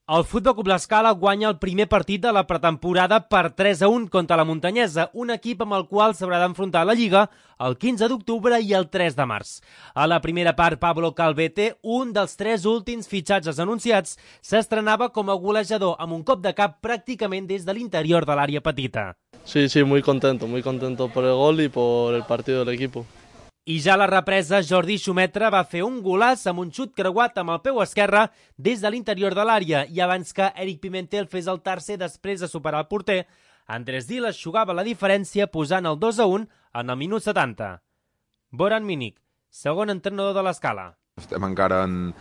El Futbol Club L'Escala guanya el primer partit de la pretemporada per 3-1 contra la Muntanyesa, un equip amb el qual s'haurà d'enfrontar a la Lliga el 15 d'octubre i el 3 de març. A la primera part, Pablo Calvete, un dels 3 últims fitxatges anunciats, s'estrenava com a golejador amb un cop de cap pràcticament des de l'interior de l'àrea petita. Sí, muy contento por el gol y por el partido del equipo. I ja a la represa, Jordi Xumetra va fer un golaç amb un xut creuat amb el peu esquerre des de l'interior de l'àrea i abans que Eric Pimentel fes el tercer després de superar el porter, Andrés Diles jugava la diferència posant el 2-1 en el minut 70. Boran Minic, segon entrenador de l'Escala. Estem encara en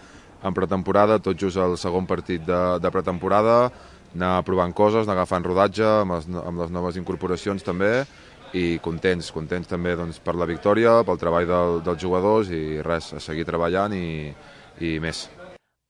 pretemporada, tot just el segon partit de pretemporada, anar provant coses, anar agafant rodatge amb les noves incorporacions també, i contents també doncs, per la victòria, pel treball dels jugadors i res, a seguir treballant i més.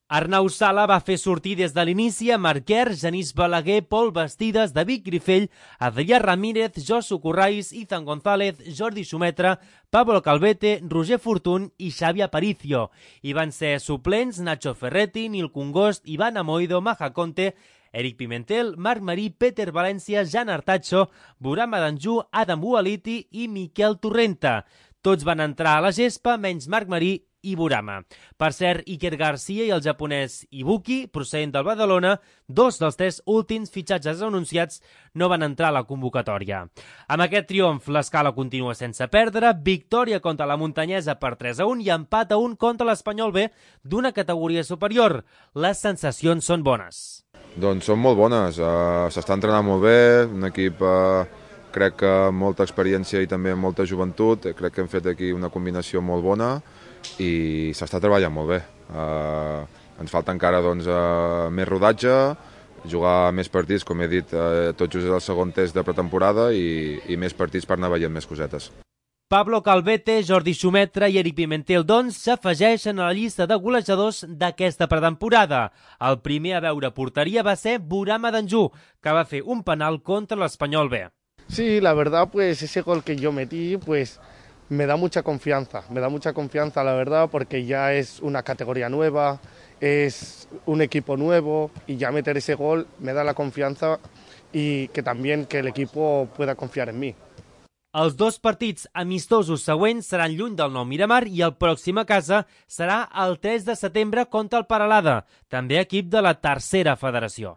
Arnau Sala va fer sortir des de l'inici a Marquer, Genís Balaguer, Pol Bastides, David Grifell, Adrià Ramírez, Josu Corrais, Izan González, Jordi Xumetra, Pablo Calvete, Roger Fortun i Xavi Aparicio. Hi van ser suplents Nacho Ferretti, Nil Congost, Ivan Amoido, Maja Conte, Eric Pimentel, Marc Marí, Peter València, Jan Artacho, Buram Adanjú, Adam Bualiti i Miquel Torrenta. Tots van entrar a la gespa, menys Marc Marí i Burama. Per cert, Iker Garcia i el japonès Ibuki, procedent del Badalona, 2 dels 3 últims fitxatges anunciats, no van entrar a la convocatòria. Amb aquest triomf, l'Escala continua sense perdre, victòria contra la Muntanyesa per 3-1 i empat a 1 contra l'Espanyol B d'una categoria superior. Les sensacions són bones. Doncs són molt bones, s'està entrenant molt bé, un equip crec que amb molta experiència i també amb molta joventut, crec que hem fet aquí una combinació molt bona i s'està treballant molt bé. Ens falta encara doncs, més rodatge, jugar més partits, com he dit, tot just és el segon test de pretemporada i més partits per anar veient més cosetes. Pablo Calvete, Jordi Xumetra i Eric Pimentel, doncs, s'afegeixen a la llista de golejadors d'aquesta pretemporada. El primer a veure porteria va ser Buram Adanjú, que va fer un penal contra l'Espanyol B. Sí, la verdad, pues ese gol que yo metí, pues me da mucha confianza, la verdad, porque ya es una categoría nueva, es un equipo nuevo y ya meter ese gol me da la confianza y que también que el equipo pueda confiar en mí. Els 2 partits amistosos següents seran lluny del Nou Miramar i el pròxim a casa serà el 3 de setembre contra el Peralada, també equip de la tercera federació.